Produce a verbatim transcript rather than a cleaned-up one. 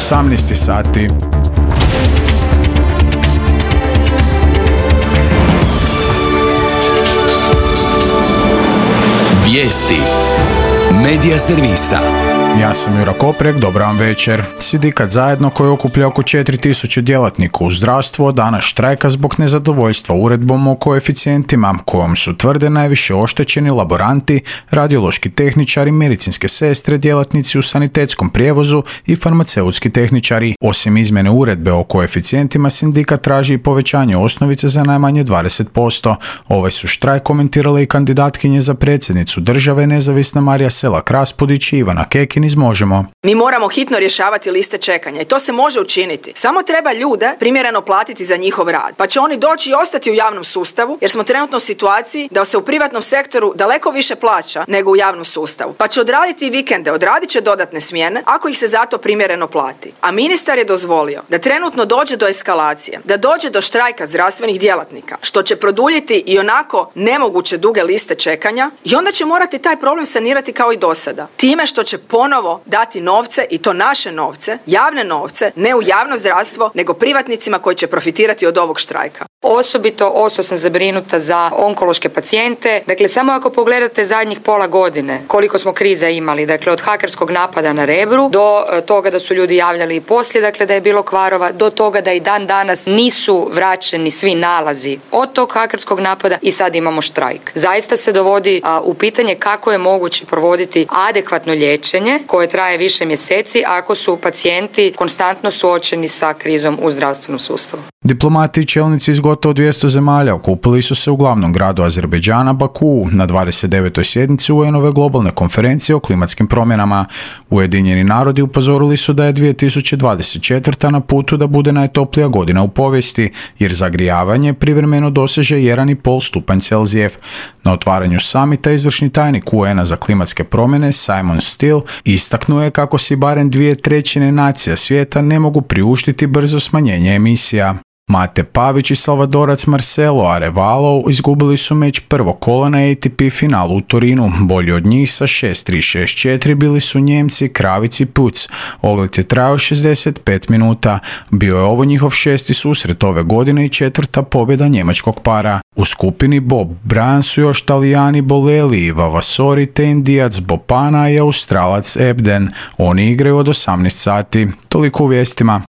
osamnaest sati. Vijesti Medija servisa. Ja sam Jura Koprek, dobar vam večer. Sindikat Zajedno, koji okuplja oko četiri tisuće djelatnika u zdravstvu, od dana štrajka zbog nezadovoljstva uredbom o koeficijentima, kojom su, tvrde, najviše oštećeni laboranti, radiološki tehničari, medicinske sestre, djelatnici u sanitetskom prijevozu i farmaceutski tehničari. Osim izmjene uredbe o koeficijentima, sindikat traži i povećanje osnovice za najmanje dvadeset posto. Ovaj su štrajk komentirale i kandidatkinje za predsjednicu države, nezavisna Marija Selak Raspudić i Ivana Kekin iz Možemo. Mi moramo hitno rješavati liste čekanja i to se može učiniti. Samo treba ljude primjereno platiti za njihov rad, pa će oni doći i ostati u javnom sustavu, jer smo trenutno u situaciji da se u privatnom sektoru daleko više plaća nego u javnom sustavu. Pa će odraditi i vikende, odradit će dodatne smjene ako ih se zato primjereno plati. A ministar je dozvolio da trenutno dođe do eskalacije, da dođe do štrajka zdravstvenih djelatnika, što će produljiti i onako nemoguće duge liste čekanja, i onda će morati taj problem sanirati kao i dosada. Time što će ponovno dati novce, i to naše novce, javne novce, ne u javno zdravstvo, nego privatnicima koji će profitirati od ovog štrajka. Osobito oso sam zabrinuta za onkološke pacijente. Dakle, samo ako pogledate zadnjih pola godine koliko smo kriza imali, dakle od hakerskog napada na Rebru do toga da su ljudi javljali i poslije, dakle da je bilo kvarova, do toga da i dan danas nisu vraćeni svi nalazi od tog hakerskog napada i sad imamo štrajk. Zaista se dovodi a, u pitanje kako je moguće provoditi adekvatno liječenje koje traje više mjeseci ako su pacijenti konstantno suočeni sa krizom u zdravstvenom sustavu. Diplomati i čelnici iz gotovo dvjesto zemalja okupili su se u glavnom gradu Azerbejdžana, Bakuu, na dvadeset devetoj sjednici U N-ove globalne konferencije o klimatskim promjenama. Ujedinjeni narodi upozorili su da je dvije tisuće dvadeset četvrta na putu da bude najtoplija godina u povijesti, jer zagrijavanje privremeno doseže jedan i pol stupanj Celzijev. Na otvaranju samita izvršni tajnik U N-a za klimatske promjene Simon Still istaknuo je kako si barem dvije trećine nacija svijeta ne mogu priuštiti brzo smanjenje emisija. Mate Pavić i Salvadorac Marcelo Arevalo izgubili su meč prvog kola na A T P finalu u Torinu. Bolji od njih sa šest tri šest četiri bili su Njemci Kravic i Puc. Ogled je trajao šezdeset pet minuta. Bio je ovo njihov šesti susret ove godine i četvrta pobjeda njemačkog para. U skupini Bob Bryan su još Talijani Boleli i Vavasori te Indijac Bopana i Australac Ebden. Oni igraju od osamnaest sati. Toliko u vijestima.